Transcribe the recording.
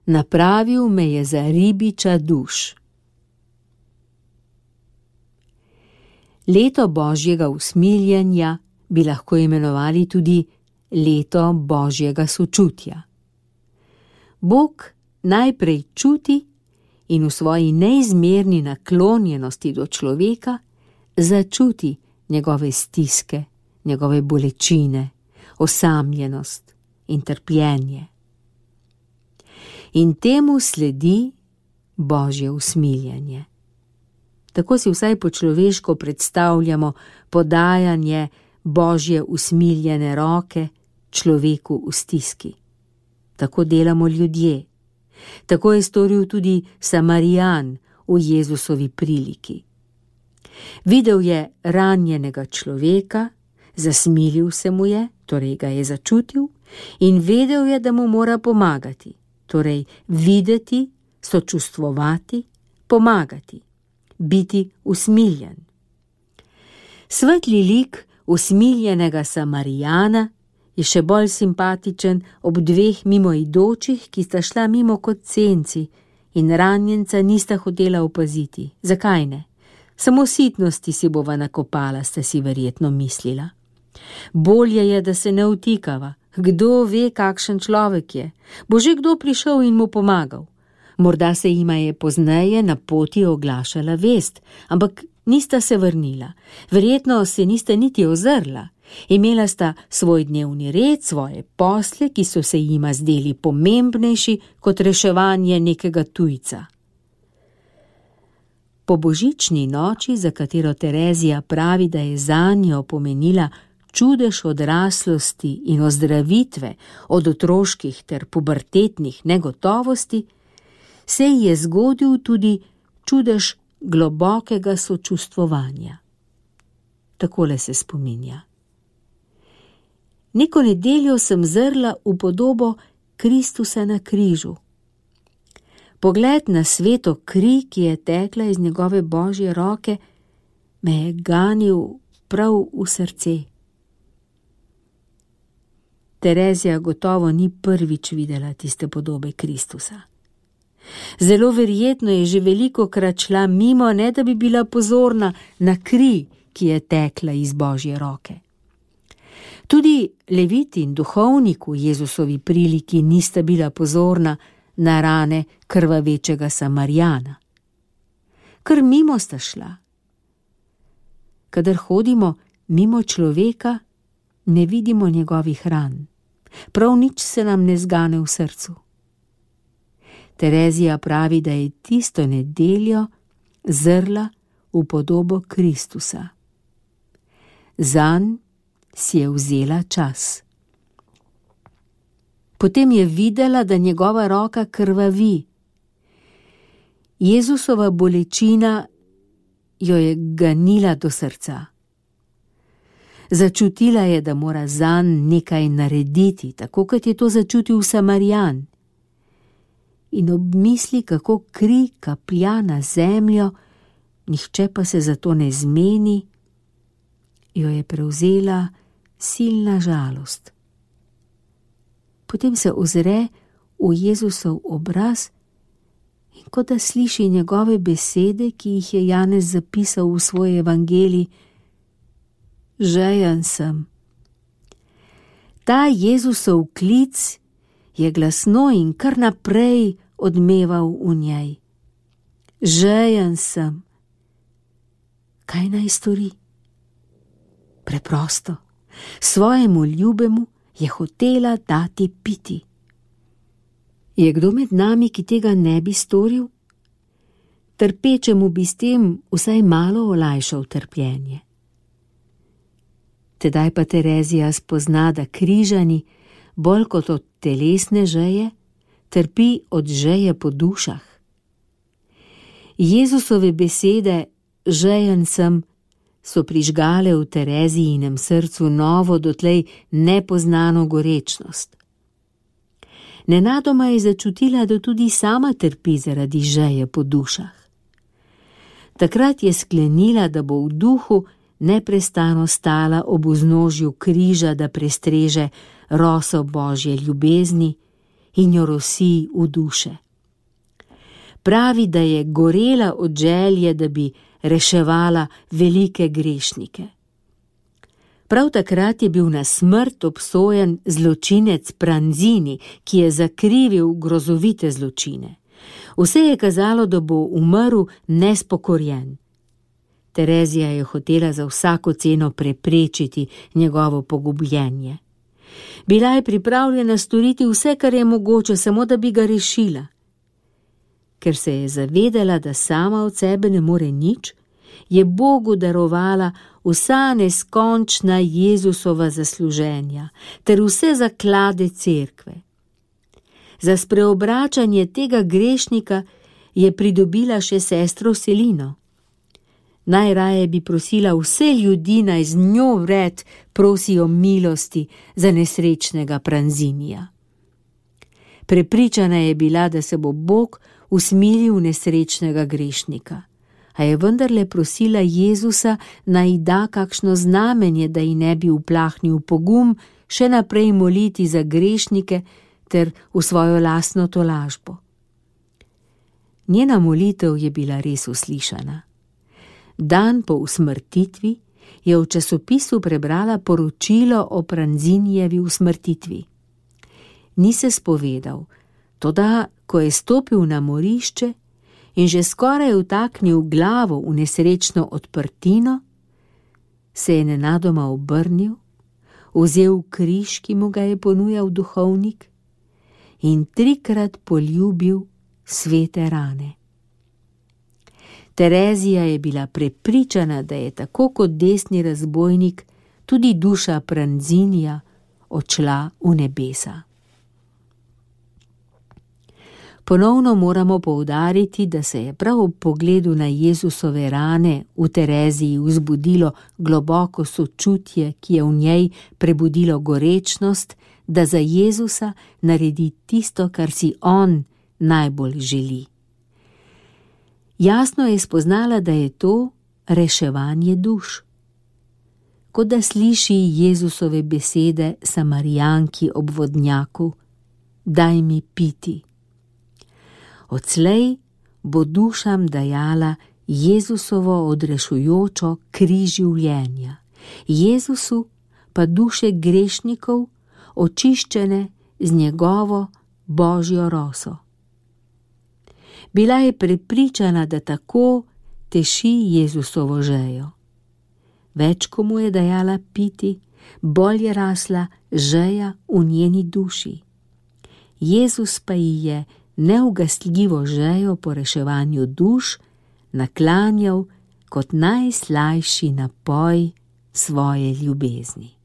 napravil me je za ribiča duš. Leto Božjega usmiljenja bi lahko imenovali tudi leto Božjega sočutja. Bog najprej čuti in v svoji neizmerni naklonjenosti do človeka začuti njegove stiske, njegove bolečine, osamljenost in trpljenje. In temu sledi Božje usmiljenje. Tako si vsaj po človeško predstavljamo podajanje Božje usmiljene roke človeku v stiski. Tako delamo ljudje. Tako je storil tudi Samarijan v Jezusovi priliki. Videl je ranjenega človeka, zasmilil se mu je, torej ga je začutil, in vedel je, da mu mora pomagati, torej videti, sočustvovati, pomagati, biti usmiljen. Svetli lik usmiljenega Samarijana je še bolj simpatičen ob dveh mimoidočih, ki sta šla mimo kot senci in ranjenca nista hotela opaziti. Zakaj ne? Samo sitnosti si bova nakopala, sta si verjetno mislila. Bolje je, da se ne vtikava. Kdo ve, kakšen človek je? Bo že kdo prišel in mu pomagal? Morda se jima je pozneje na poti oglašala vest, ampak nista se vrnila. Verjetno se nista niti ozrla. Imela sta svoj dnevni red, svoje posle, ki so se jima zdeli pomembnejši kot reševanje nekega tujca. Po božični noči, za katero Terezija pravi, da je zanjo pomenila čudež odraslosti in ozdravitve od otroških ter pubertetnih negotovosti, se ji je zgodil tudi čudež globokega sočustvovanja. Takole se spominja. Neko nedeljo sem zrla v podobo Kristusa na križu. Pogled na sveto kri, ki je tekla iz njegove Božje roke, me je ganil prav v srce. Terezija gotovo ni prvič videla tiste podobe Kristusa. Zelo verjetno je že velikokrat šla mimo, ne da bi bila pozorna na kri, ki je tekla iz Božje roke. Tudi levit in duhovnik v Jezusovi priliki nista bila pozorna na rane krvavečega Samarijana. Kar mimo sta šla. Kadar hodimo mimo človeka, ne vidimo njegovih ran. Prav nič se nam ne zgane v srcu. Terezija pravi, da je tisto nedeljo zrla v podobo Kristusa. Zanj si je vzela čas. Potem je videla, da njegova roka krvavi. Jezusova bolečina jo je ganila do srca. Začutila je, da mora zanj nekaj narediti, tako kot je to začutil Samarijan. In ob misli, kako kri kaplja na zemljo, nihče pa se zato ne zmeni, jo je prevzela silna žalost. Potem se ozre v Jezusov obraz in kot da sliši njegove besede, ki jih je Janez zapisal v svoj evangelij: žejen sem. Ta Jezusov klic je glasno in kar naprej odmeval v njej. Žejen sem. Kaj naj stori? Preprosto. Svojemu ljubemu je hotela dati piti. Je kdo med nami, ki tega ne bi storil? Trpečemu bi s tem vsaj malo olajšal trpljenje. Tedaj pa Terezija spozna, da križani, bolj kot od telesne žeje, trpi od žeje po dušah. Jezusove besede žejen sem so prižgale v Terezijinem srcu novo, dotlej nepoznano gorečnost. Nenadoma je začutila, da tudi sama trpi zaradi žeje po dušah. Takrat je sklenila, da bo v duhu neprestano stala ob vznožju križa, da prestreže roso Božje ljubezni in jo rosi v duše. Pravi, da je gorela od želje, da bi reševala velike grešnike. Prav takrat je bil na smrt obsojen zločinec Pranzini, ki je zakrivil grozovite zločine. Vse je kazalo, da bo umrl nespokorjen. Terezija je hotela za vsako ceno preprečiti njegovo pogubljenje. Bila je pripravljena storiti vse, kar je mogoče, samo da bi ga rešila. Ker se je zavedala, da sama od sebe ne more nič, je Bogu darovala vsa neskončna Jezusova zasluženja ter vse zaklade cerkve. Za spreobračanje tega grešnika je pridobila še sestro Selino. Najraje bi prosila vse ljudi, naj z njo vred prosijo milosti za nesrečnega Pranzinija. Prepričana je bila, da se bo Bog usmilil nesrečnega grešnika, a je vendarle prosila Jezusa, naj da kakšno znamenje, da ji ne bi uplahnil pogum še naprej moliti za grešnike ter v svojo lastno tolažbo. Njena molitev je bila res uslišana. Dan po usmrtitvi je v časopisu prebrala poročilo o Pranzinijevi usmrtitvi. Ni se spovedal, toda ko je stopil na morišče in že skoraj vtaknil glavo v nesrečno odprtino, se je nenadoma obrnil, vzel križ, ki mu ga je ponujal duhovnik, in 3-krat poljubil svete rane. Terezija je bila prepričana, da je tako kot desni razbojnik tudi duša Pranzinija odšla v nebesa. Ponovno moramo poudariti, da se je prav ob pogledu na Jezusove rane v Tereziji vzbudilo globoko sočutje, ki je v njej prebudilo gorečnost, da za Jezusa naredi tisto, kar si on najbolj želi. Jasno je spoznala, da je to reševanje duš. Kot da sliši Jezusove besede Samarijanki ob vodnjaku: daj mi piti. Odslej bo dušam dajala Jezusovo odrešujočo kri življenja, Jezusu pa duše grešnikov, očiščene z njegovo božjo roso. Bila je prepričana, da tako teši Jezusovo žejo. Več ko mu je dajala piti, bolj je rasla žeja v njeni duši. Jezus pa ji je neugastljivo žejo po reševanju duš naklanjal kot najslajši napoj svoje ljubezni.